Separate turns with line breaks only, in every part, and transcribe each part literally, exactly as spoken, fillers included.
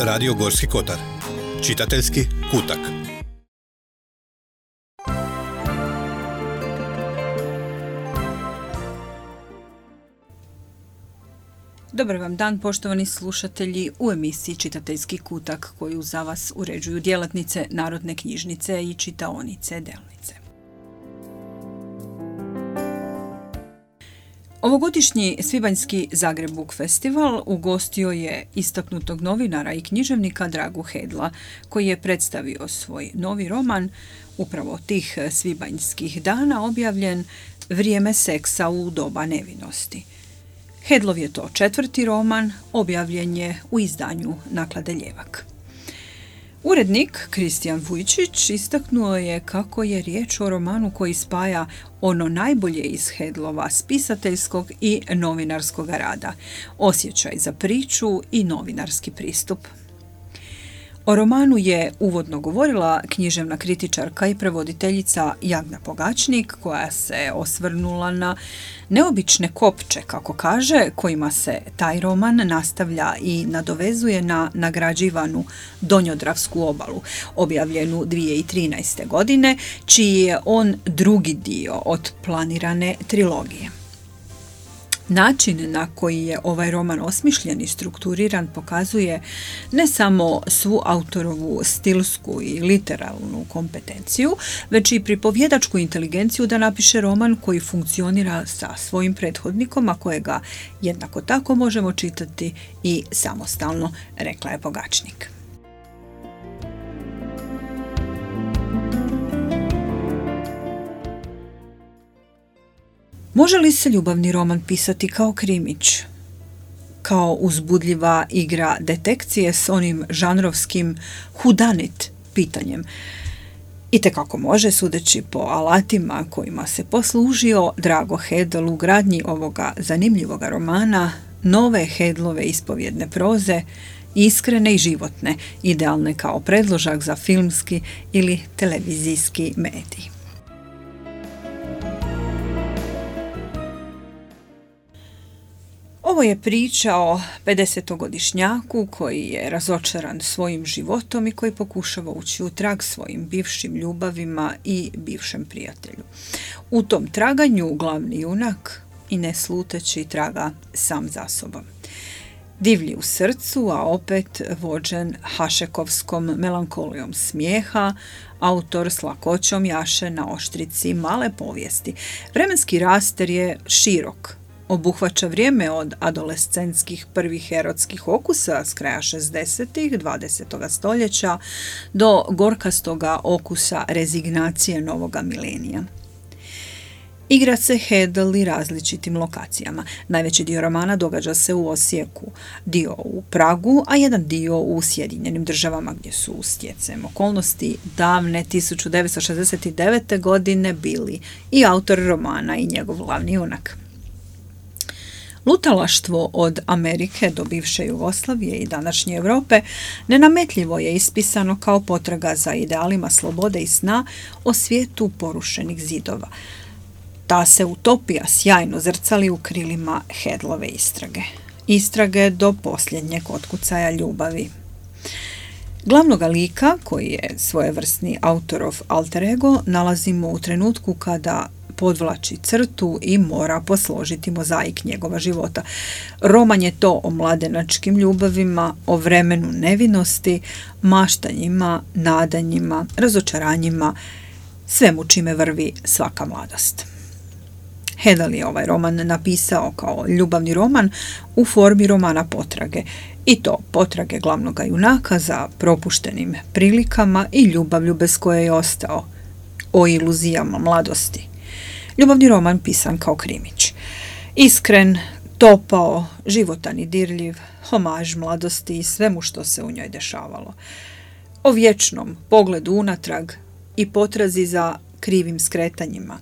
Radio Gorski kotar. Čitateljski kutak.
Dobar vam dan, poštovani slušatelji, u emisiji Čitateljski kutak koju za vas uređuju djelatnice Narodne knjižnice i čitaonice Delnice. Ovogodišnji Svibanjski Zagreb Book Festival ugostio je istaknutog novinara i književnika Dragu Hedla, koji je predstavio svoj novi roman, upravo tih svibanjskih dana, objavljen Vrijeme seksa u doba nevinosti. Hedlov je to četvrti roman, objavljen je u izdanju Naklade Ljevak. Urednik Kristijan Vujčić istaknuo je kako je riječ o romanu koji spaja ono najbolje iz Hedlova spisateljskog i novinarskog rada, osjećaj za priču i novinarski pristup. O romanu je uvodno govorila književna kritičarka i prevoditeljica Jagna Pogačnik, koja se osvrnula na neobične kopče, kako kaže, kojima se taj roman nastavlja i nadovezuje na nagrađivanu Donjodravsku obalu, objavljenu dvije tisuće trinaeste. godine, čiji je on drugi dio od planirane trilogije. Način na koji je ovaj roman osmišljen i strukturiran pokazuje ne samo svu autorovu stilsku i literalnu kompetenciju, već i pripovjedačku inteligenciju da napiše roman koji funkcionira sa svojim prethodnikom, a kojega jednako tako možemo čitati i samostalno, rekla je Pogačnik. Može li se ljubavni roman pisati kao krimić? Kao uzbudljiva igra detekcije s onim žanrovskim whodunit pitanjem? Itekako može, sudeći po alatima kojima se poslužio Drago Hedl u gradnji ovoga zanimljivoga romana, nove Hedlove ispovjedne proze, iskrene i životne, idealne kao predložak za filmski ili televizijski medij. Ovo je priča o pedesetogodišnjaku koji je razočaran svojim životom i koji pokušava ući u trag svojim bivšim ljubavima i bivšem prijatelju. U tom traganju glavni junak i ne sluteći traga sam za sobom. Divlji u srcu, a opet vođen hašekovskom melankolijom smijeha, autor s lakoćom jaše na oštrici male povijesti. Vremenski raster je širok. Obuhvaća vrijeme od adolescentskih prvih erotskih okusa s kraja šezdesetih dvadesetog stoljeća do gorkastoga okusa rezignacije novoga milenija. Igra se Hedl i različitim lokacijama. Najveći dio romana događa se u Osijeku, dio u Pragu, a jedan dio u Sjedinjenim Državama, gdje su stjecajem okolnosti davne tisuću devetsto šezdeset devete. godine bili i autor romana i njegov glavni junak. Lutalaštvo od Amerike do bivše Jugoslavije i današnje Europe nenametljivo je ispisano kao potraga za idealima slobode i sna o svijetu porušenih zidova. Ta se utopija sjajno zrcali u krilima Hedlove istrage. Istrage do posljednjeg otkucaja ljubavi. Glavnoga lika, koji je svojevrsni autorov alter ego, nalazimo u trenutku kada podvlači crtu i mora posložiti mozaik njegova života. Roman je to o mladenačkim ljubavima, o vremenu nevinosti, maštanjima, nadanjima, razočaranjima, svemu čime vrvi svaka mladost. Hedl je ovaj roman napisao kao ljubavni roman u formi romana potrage, i to potrage glavnoga junaka za propuštenim prilikama i ljubavlju bez koje je ostao, o iluzijama mladosti. Ljubavni roman pisan kao krimić. Iskren, topao, životan i dirljiv, homaž mladosti i svemu što se u njoj dešavalo. O vječnom pogledu unatrag i potrazi za krivim skretanjima.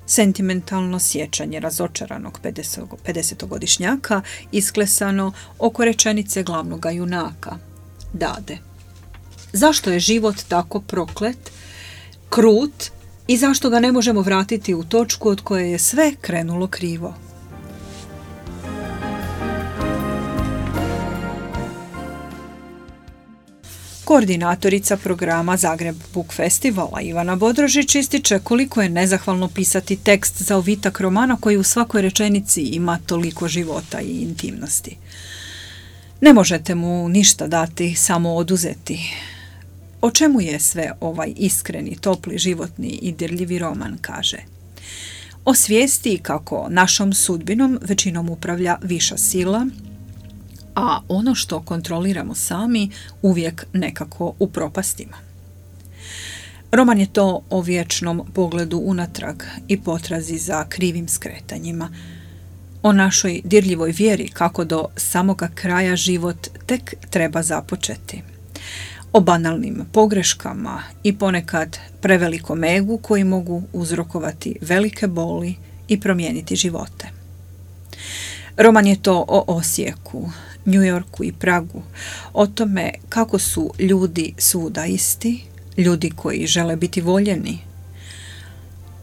Sentimentalno sjećanje razočaranog pedesetogodišnjaka isklesano oko rečenice glavnoga junaka, Dade. Zašto je život tako proklet, krut i zašto ga ne možemo vratiti u točku od koje je sve krenulo krivo? Koordinatorica programa Zagreb Book Festivala Ivana Bodrožić ističe koliko je nezahvalno pisati tekst za ovitak romana koji u svakoj rečenici ima toliko života i intimnosti. Ne možete mu ništa dati, samo oduzeti. O čemu je sve ovaj iskreni, topli, životni i dirljivi roman, kaže? O svijesti kako našom sudbinom većinom upravlja viša sila, a ono što kontroliramo sami uvijek nekako upropastimo. Roman je to o vječnom pogledu unatrag i potrazi za krivim skretanjima, o našoj dirljivoj vjeri kako do samoga kraja život tek treba započeti, o banalnim pogreškama i ponekad prevelikom egu koji mogu uzrokovati velike boli i promijeniti živote. Roman je to o Osijeku, New Yorku i Pragu, o tome kako su ljudi svuda isti, ljudi koji žele biti voljeni,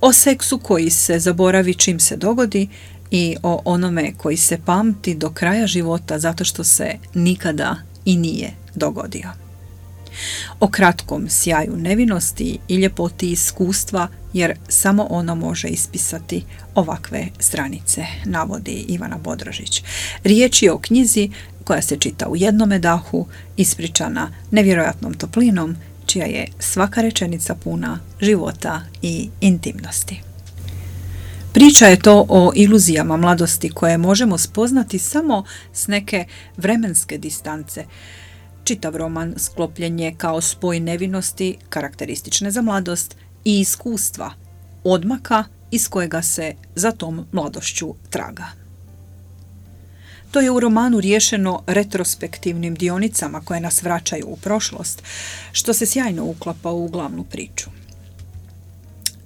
o seksu koji se zaboravi čim se dogodi i o onome koji se pamti do kraja života zato što se nikada i nije dogodio. O kratkom sjaju nevinosti i ljepoti iskustva, jer samo ono može ispisati ovakve stranice, navodi Ivana Bodrožić. Riječ je o knjizi koja se čita u jednome dahu, ispričana nevjerojatnom toplinom, čija je svaka rečenica puna života i intimnosti. Priča je to o iluzijama mladosti koje možemo spoznati samo s neke vremenske distance. Čitav roman sklopljen je kao spoj nevinosti, karakteristične za mladost, i iskustva, odmaka iz kojega se za tom mladošću traga. To je u romanu riješeno retrospektivnim dionicama koje nas vraćaju u prošlost, što se sjajno uklapa u glavnu priču.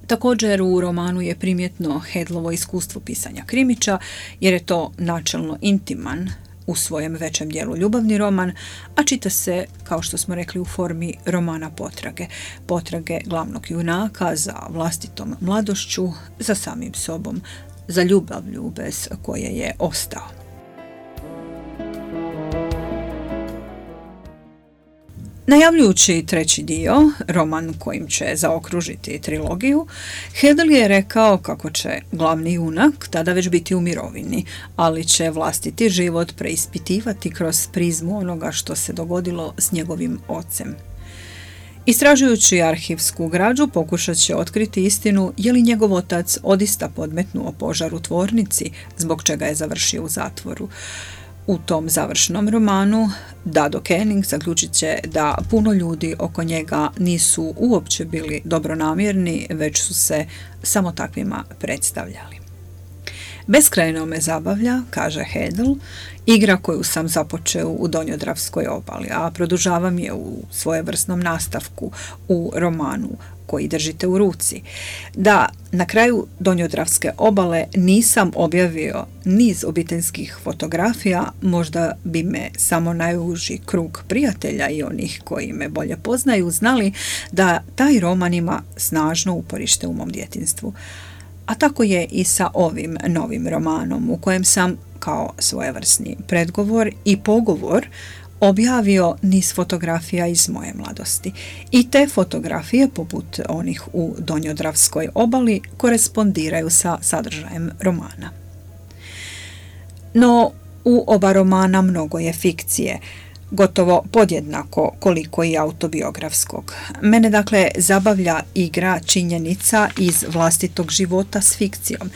Također u romanu je primjetno Hedlovo iskustvo pisanja krimića, jer je to načelno intiman, u svojem većem dijelu ljubavni roman, a čita se, kao što smo rekli, u formi romana potrage. Potrage glavnog junaka za vlastitom mladošću, za samim sobom, za ljubavlju bez koje je ostao. Najavljujući treći dio, roman kojim će zaokružiti trilogiju, Hedl je rekao kako će glavni junak tada već biti u mirovini, ali će vlastiti život preispitivati kroz prizmu onoga što se dogodilo s njegovim ocem. Istražujući arhivsku građu pokušat će otkriti istinu je li njegov otac odista podmetnuo požar u tvornici, zbog čega je završio u zatvoru. U tom završnom romanu Dado Kenning zaključit će da puno ljudi oko njega nisu uopće bili dobronamjerni, već su se samo takvima predstavljali. Beskrajno me zabavlja, kaže Hedl, igra koju sam započeo u Donjodravskoj obali, a produžavam je u svojevrsnom nastavku u romanu koji držite u ruci. Da na kraju Donjodravske obale nisam objavio niz obiteljskih fotografija, možda bi me samo najuži krug prijatelja i onih koji me bolje poznaju znali da taj roman ima snažno uporište u mom djetinjstvu. A tako je i sa ovim novim romanom u kojem sam kao svojevrsni predgovor i pogovor objavio niz fotografija iz moje mladosti. I te fotografije, poput onih u Donjodravskoj obali, korespondiraju sa sadržajem romana. No, u oba romana mnogo je fikcije, gotovo podjednako koliko i autobiografskog. Mene dakle zabavlja igra činjenica iz vlastitog života s fikcijom,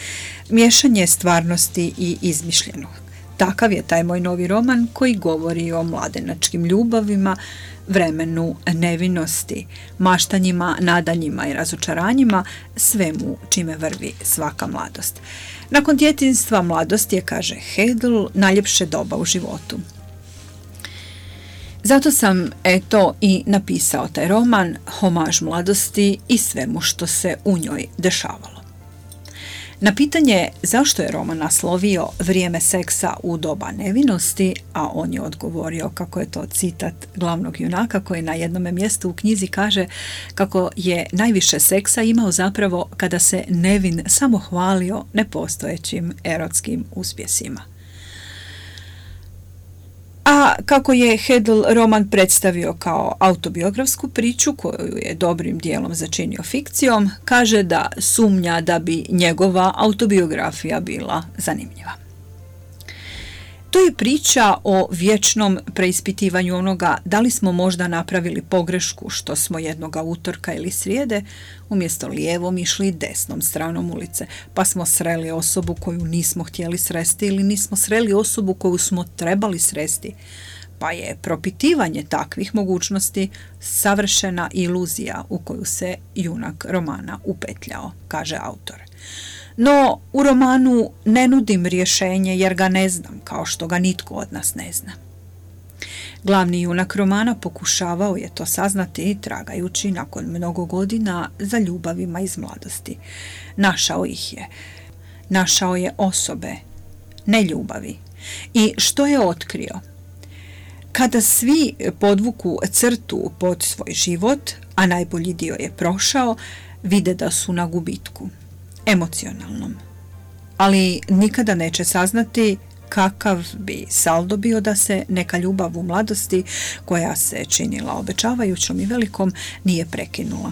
miješanje stvarnosti i izmišljenog. Takav je taj moj novi roman koji govori o mladenačkim ljubavima, vremenu nevinosti, maštanjima, nadanjima i razočaranjima, svemu čime vrvi svaka mladost. Nakon djetinjstva mladost je, kaže Hedl, najljepše doba u životu. Zato sam, eto, i napisao taj roman, homaž mladosti i svemu što se u njoj dešavalo. Na pitanje zašto je roman naslovio Vrijeme seksa u doba nevinosti, a on je odgovorio kako je to citat glavnog junaka koji na jednome mjestu u knjizi kaže kako je najviše seksa imao zapravo kada se nevin samo hvalio nepostojećim erotskim uspjesima. A kako je Hedl roman predstavio kao autobiografsku priču koju je dobrim dijelom začinio fikcijom, kaže da sumnja da bi njegova autobiografija bila zanimljiva. To je priča o vječnom preispitivanju onoga da li smo možda napravili pogrešku što smo jednoga utorka ili srijede umjesto lijevom išli desnom stranom ulice, pa smo sreli osobu koju nismo htjeli sresti ili nismo sreli osobu koju smo trebali sresti, pa je propitivanje takvih mogućnosti savršena iluzija u koju se junak romana upetljao, kaže autor. No, u romanu ne nudim rješenje jer ga ne znam, kao što ga nitko od nas ne zna. Glavni junak romana pokušavao je to saznati tragajući nakon mnogo godina za ljubavima iz mladosti. Našao ih je. Našao je osobe, ne ljubavi. I što je otkrio? Kada svi podvuku crtu pod svoj život, a najbolji dio je prošao, vide da su na gubitku. Emocionalnom. Ali nikada neće saznati kakav bi saldo bio da se neka ljubav u mladosti, koja se činila obećavajućom i velikom, nije prekinula.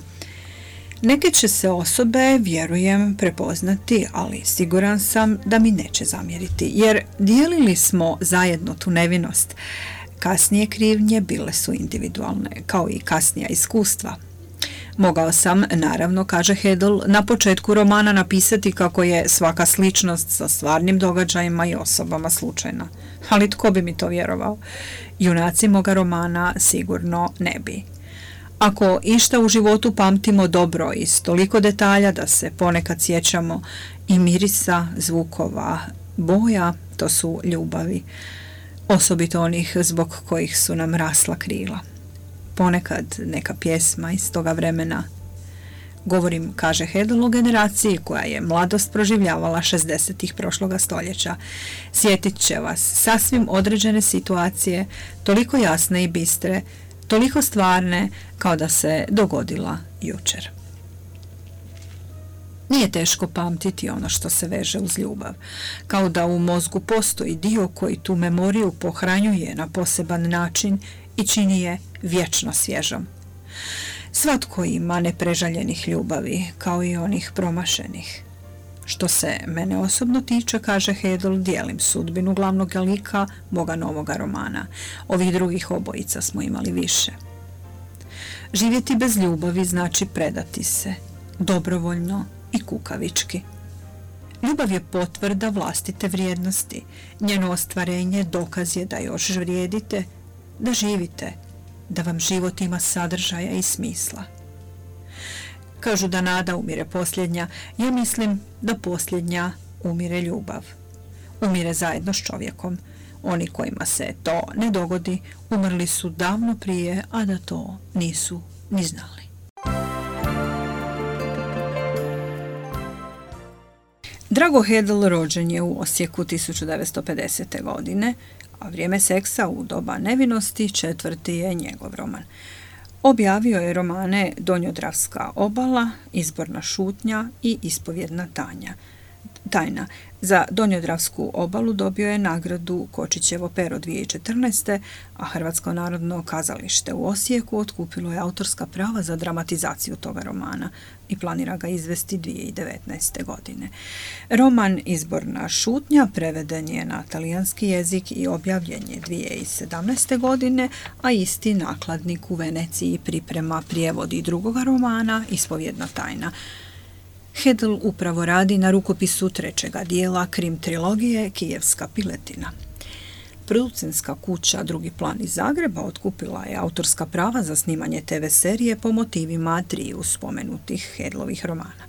Neke će se osobe, vjerujem, prepoznati, ali siguran sam da mi neće zamjeriti, jer dijelili smo zajedno tu nevinost. Kasnije krivnje bile su individualne, kao i kasnija iskustva. Mogao sam, naravno, kaže Hedl, na početku romana napisati kako je svaka sličnost sa stvarnim događajima i osobama slučajna. Ali tko bi mi to vjerovao? Junaci moga romana sigurno ne bi. Ako išta u životu pamtimo dobro iz toliko detalja da se ponekad sjećamo i mirisa, zvukova, boja, to su ljubavi, osobito onih zbog kojih su nam rasla krila. Ponekad neka pjesma iz toga vremena. Govorim, kaže Hedl, o generaciji koja je mladost proživljavala šezdesetih prošloga stoljeća. Sjetit će vas sasvim određene situacije, toliko jasne i bistre, toliko stvarne kao da se dogodila jučer. Nije teško pamtiti ono što se veže uz ljubav, kao da u mozgu postoji dio koji tu memoriju pohranjuje na poseban način i čini je vječno svježom. Svatko ima neprežaljenih ljubavi, kao i onih promašenih. Što se mene osobno tiče, kaže Hedl, dijelim sudbinu glavnog lika moga novoga romana. Ovih drugih obojica smo imali više. Živjeti bez ljubavi znači predati se, dobrovoljno i kukavički. Ljubav je potvrda vlastite vrijednosti. Njeno ostvarenje dokaz je da još vrijedite, da živite, da vam život ima sadržaja i smisla. Kažu da nada umire posljednja, ja mislim da posljednja umire ljubav. Umire zajedno s čovjekom. Oni kojima se to ne dogodi, umrli su davno prije, a da to nisu ni znali. Drago Hedl rođen je u Osijeku tisuću devetsto pedesete. godine, a Vrijeme seksa u doba nevinosti četvrti je njegov roman. Objavio je romane Donjodravska obala, Izborna šutnja i Ispovjedna tanja. Tajna. Za Donjodravsku obalu dobio je nagradu Kočićevo pero dvije tisuće četrnaeste. a Hrvatsko narodno kazalište u Osijeku otkupilo je autorska prava za dramatizaciju toga romana i planira ga izvesti dvije tisuće devetnaeste. godine. Roman Izborna šutnja preveden je na talijanski jezik i objavljen je dvije tisuće sedamnaeste. godine, a isti nakladnik u Veneciji priprema prijevod i drugoga romana Ispovjedna tajna. Hedl upravo radi na rukopisu trećega dijela krim trilogije Kijevska piletina. Producentska kuća Drugi plan iz Zagreba otkupila je autorska prava za snimanje te ve serije po motivima triju spomenutih Hedlovih romana.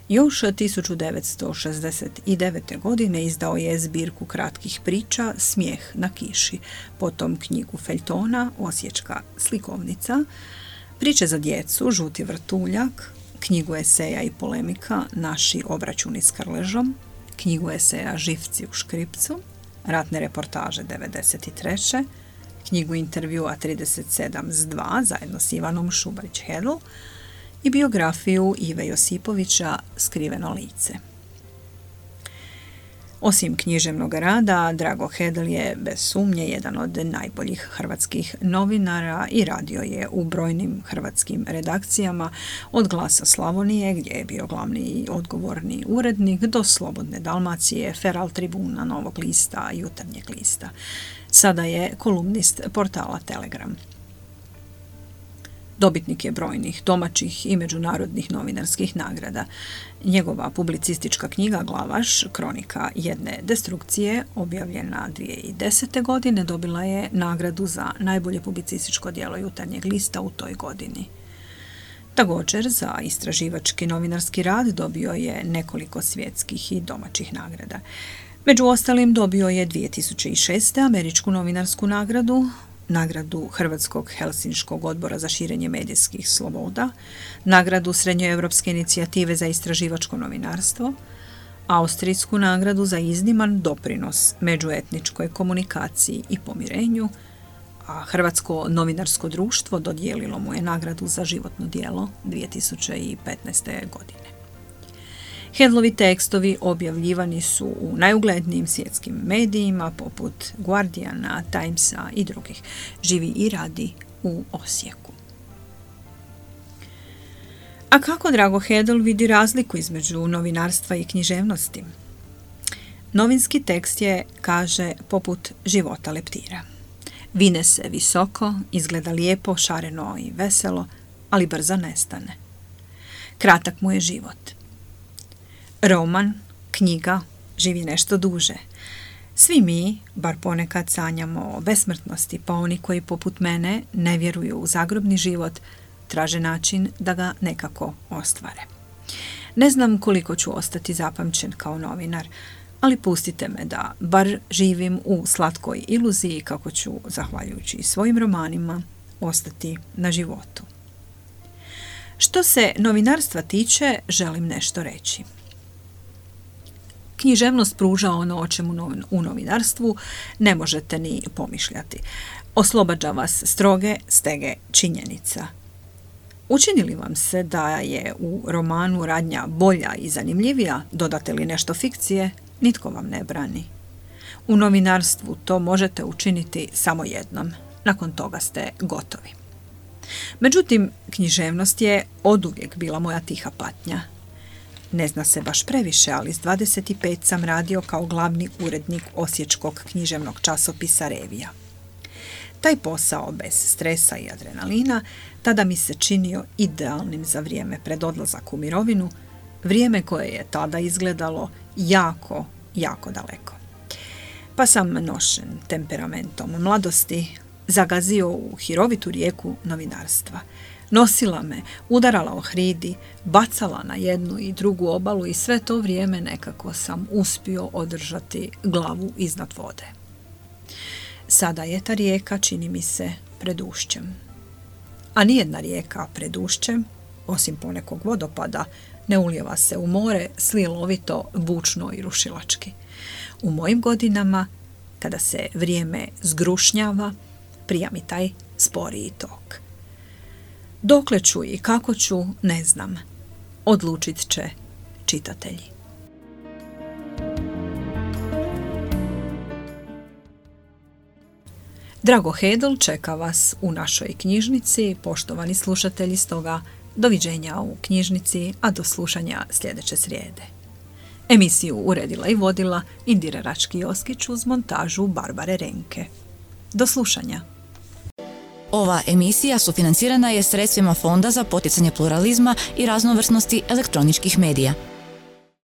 Još tisuću devetsto šezdeset devete. godine izdao je zbirku kratkih priča Smijeh na kiši, potom knjigu feljtona Osječka slikovnica, priče za djecu Žuti vrtuljak, knjigu eseja i polemika Naši obračuni s Krležom, knjigu eseja Živci u škripcu, ratne reportaže devedeset treće. knjigu intervjua trideset sedam s dva zajedno s Ivanom Šubarić-Hedl i biografiju Ive Josipovića Skriveno lice. Osim književnog rada, Drago Hedl je bez sumnje jedan od najboljih hrvatskih novinara i radio je u brojnim hrvatskim redakcijama, od Glasa Slavonije, gdje je bio glavni i odgovorni urednik, do Slobodne Dalmacije, Feral Tribuna, Novog lista, Jutarnjeg lista. Sada je kolumnist portala Telegram. Dobitnik je brojnih domaćih i međunarodnih novinarskih nagrada. Njegova publicistička knjiga Glavaš, kronika jedne destrukcije, objavljena dvije tisuće desete. godine, dobila je nagradu za najbolje publicističko djelo Jutarnjeg lista u toj godini. Također, za istraživački novinarski rad dobio je nekoliko svjetskih i domaćih nagrada. Među ostalim dobio je dvije tisuće šeste. američku novinarsku nagradu, nagradu Hrvatskog Helsinškog odbora za širenje medijskih sloboda, nagradu Srednjoevropske inicijative za istraživačko novinarstvo, austrijsku nagradu za izniman doprinos međuetničkoj komunikaciji i pomirenju, a Hrvatsko novinarsko društvo dodijelilo mu je nagradu za životno djelo dvije tisuće petnaeste. godine. Hedlovi tekstovi objavljivani su u najuglednijim svjetskim medijima poput Guardiana, Timesa i drugih. Živi i radi u Osijeku. A kako Drago Hedl vidi razliku između novinarstva i književnosti? Novinski tekst je, kaže, poput života leptira. Vine se visoko, izgleda lijepo, šareno i veselo, ali brzo nestane. Kratak mu je život. Roman, knjiga, živi nešto duže. Svi mi, bar ponekad, sanjamo o besmrtnosti, pa oni koji poput mene ne vjeruju u zagrobni život, traže način da ga nekako ostvare. Ne znam koliko ću ostati zapamćen kao novinar, ali pustite me da bar živim u slatkoj iluziji kako ću, zahvaljujući svojim romanima, ostati na životu. Što se novinarstva tiče, želim nešto reći. Književnost pruža ono o čemu u novinarstvu ne možete ni pomišljati. Oslobađa vas stroge stege činjenica. Učini li vam se da je u romanu radnja bolja i zanimljivija, dodate li nešto fikcije, nitko vam ne brani. U novinarstvu to možete učiniti samo jednom. Nakon toga ste gotovi. Međutim, književnost je oduvijek bila moja tiha patnja. Ne zna se baš previše, ali s dvadeset pet sam radio kao glavni urednik osječkog književnog časopisa Revija. Taj posao bez stresa i adrenalina tada mi se činio idealnim za vrijeme pred odlazak u mirovinu, vrijeme koje je tada izgledalo jako, jako daleko. Pa sam nošen temperamentom mladosti zagazio u hirovitu rijeku novinarstva. Nosila me, udarala o hridi, bacala na jednu i drugu obalu i sve to vrijeme nekako sam uspio održati glavu iznad vode. Sada je ta rijeka, čini mi se, pred ušćem. A nijedna rijeka pred ušćem, osim ponekog vodopada, ne ulijeva se u more slilovito, bučno i rušilački. U mojim godinama, kada se vrijeme zgrušnjava, prija mi taj sporiji tok. Dokle ću i kako ću, ne znam. Odlučit će čitatelji. Drago Hedl čeka vas u našoj knjižnici, poštovani slušatelji, stoga doviđenja u knjižnici, a do slušanja sljedeće srijede. Emisiju uredila i vodila Indira Rački-Joskić uz montažu Barbare Renke. Do slušanja.
Ova emisija sufinancirana je sredstvima Fonda za poticanje pluralizma i raznovrsnosti elektroničkih medija.